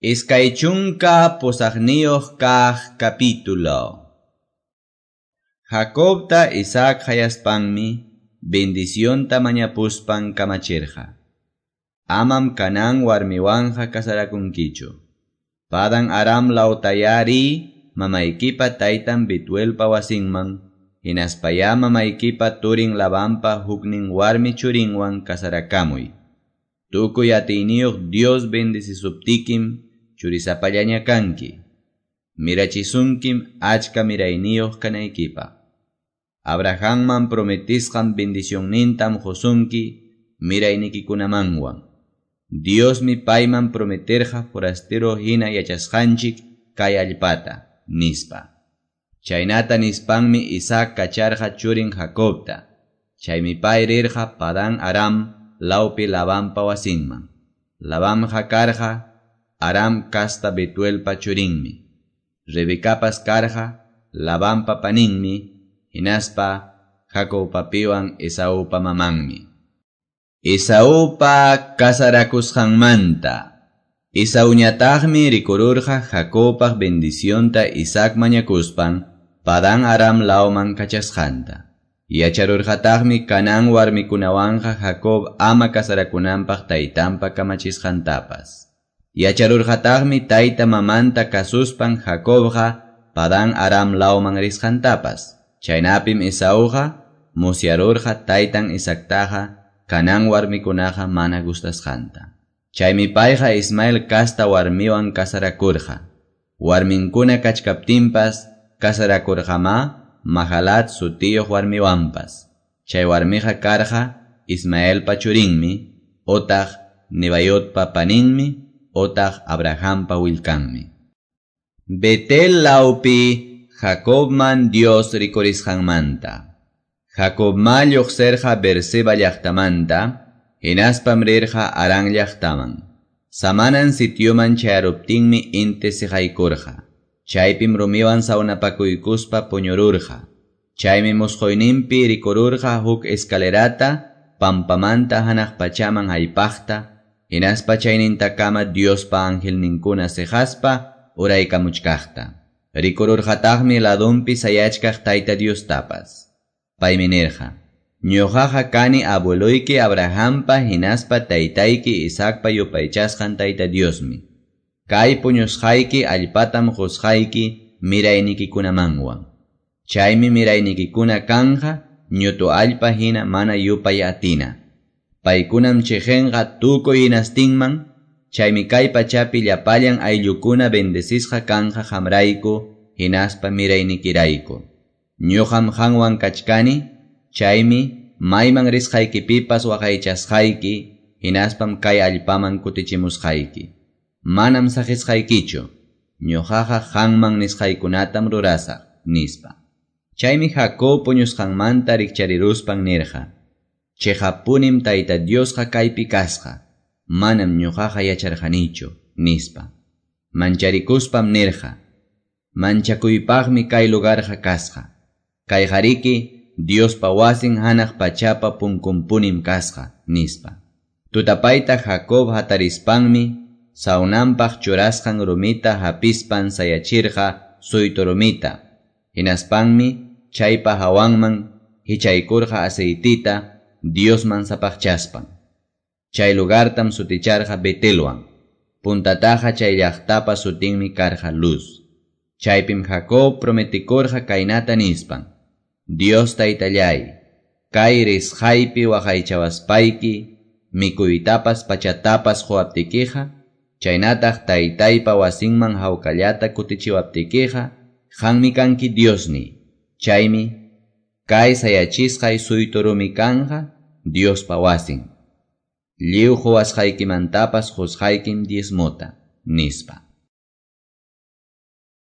28 kaq capítulo. Jacobta Isaac hayaspanmi bendicionta mañapuspan kamachirqa. Amam Canaán warmiwanja kasarakunkichu. Padan Aram lawtayari mamaykipa taytan Betuelpa wasinman, hinaspaya mamaykipa turin Labanpa huknin warmi churinwan kasarakamuy. Tukuy atiyniyuq Dios bendecisuptikim churisapallaña kanki. Mirachisunkim achka mirayniyuq kanaykipaq. Abrahamman prometisqan bendicionnintam qusunki miraynikikunamanwan. Diosmi payman prometerqa forastero hina yachasqanchik kay allpata, nispa. Chaynata nispanmi Isaac kacharqa churin Jacobta. Chaymi pay rirqa Padan Aram lawpi Labanpa wasinman. Labanqa karqa Aram kasta Betuelpa churinmi. Rebecapas karqa Labanpa paninmi, hinaspa Jacobpapiwan Esaupa mamanmi. Esaupa kasarakusqanmanta. Esauñataqmi rikururqa Jacobpaq bendicionta Isaac mañakuspan Padan Aram lawman kachasqanta. Yacharurqataqmi Canaán warmikunawanqa Jacob ama kasarakunanpaq taytanpa kamachisqantapas. Yacharurqataqmi tayta mamanta kasuspan Jacobqa Padan Aram lawman risqantapas. Chaynapim Esauqa musyarurqa taytan Isaactaqa Canaán warmikunaqa mana gustasqanta. Chaymi payqa Ismael kasta warmiwan kasarakurqa. Warminkuna kachkaptinpas kasarakurqamá Mahalat sutiyuq warmiwanpas. Chay warmiqa karqa Ismaelpa churinmi, otaq Nebayotpa paninmi, otaq Abrahampa willkanmi. Betel lawpi Jacobman Dios rikurisqanmanta. Jacobma lluqsirqa Beerseba llaqtamanta, hinaspam rirqa Harán llaqtaman. Samanan sitioman chayaruptinmi inti siqaykurqa. Chaypim rumiwan sawnapakuykuspa puñururqa. Chaymi musquyninpi rikururqa huk escalerata pampamanta hanaq pachaman haypaqta, hinaspa chaynintakama Diospa angelninkuna siqaspa uraykamuchkaqta. Rikururqataqmi ladunpi sayachkaq Tayta Diostapas. Paymi nirqa: Ñuqaqa kani abueloyki Abrahampa hinaspa taytayki Isaacpa yupaychasqan Tayta Diosmi. Kay puñusqayki allpatam qusqayki miraynikikunamanwan. Chaymi miraynikikuna kanja ñutu allpa hina mana yupay atina. Paykunam chiqinqa tukuy hinastinman, chaymi kay pachapi llapallan ayllukuna bendecisqa kanja qamrayku hinaspa miraynikirayku. Ñuqam qanwan kachkani, chaymi mayman risqaykipipas waqaychasqayki, hinaspam kay allpaman kutichimusqayki. Manam saqisqaykichu, ñuqaqa qanman nisqaykunatam rurasaq, nispa. Chaymi Jacob puñusqanmanta rikchariruspan nirqa: Chiqapunim Tayta Diosqa kaypi kasqa, manam ñuqaqa yacharqanichu, nispa. Mancharikuspam nirqa: Manchakuypaqmi kay lugarqa kasqa. Kayqariki Diospa wasin hanaq pachapa punkunpunim kasqa, nispa. Tutapayta Jacob hatarispanmi sawnanpaq churasqan rumita hapispan sayachirqa suytu rumita. Hinaspanmi chaypa hawanman hichaykurqa aceitita Diosman sapaqchaspan. Chay lugartam suticharqa Betelwan. Puntataqa chay llaqtapa sutinmi karqa Luz. Chaypim Jacob prometikurqa kaynata nispan: Dios taytallay, kay risqaypi waqaychawaspayki, mikuytapas pachatapas quwaptikiqa, chaynataq taytaypa wasinman hawkallata kutichiwaptikiqa, qanmi kanki Diosni. Chaymi kay sayachisqay suytu rumi kanja Diospa wasin. Lliw quwasqaykimantapas qusqaykim diezmota, nispa.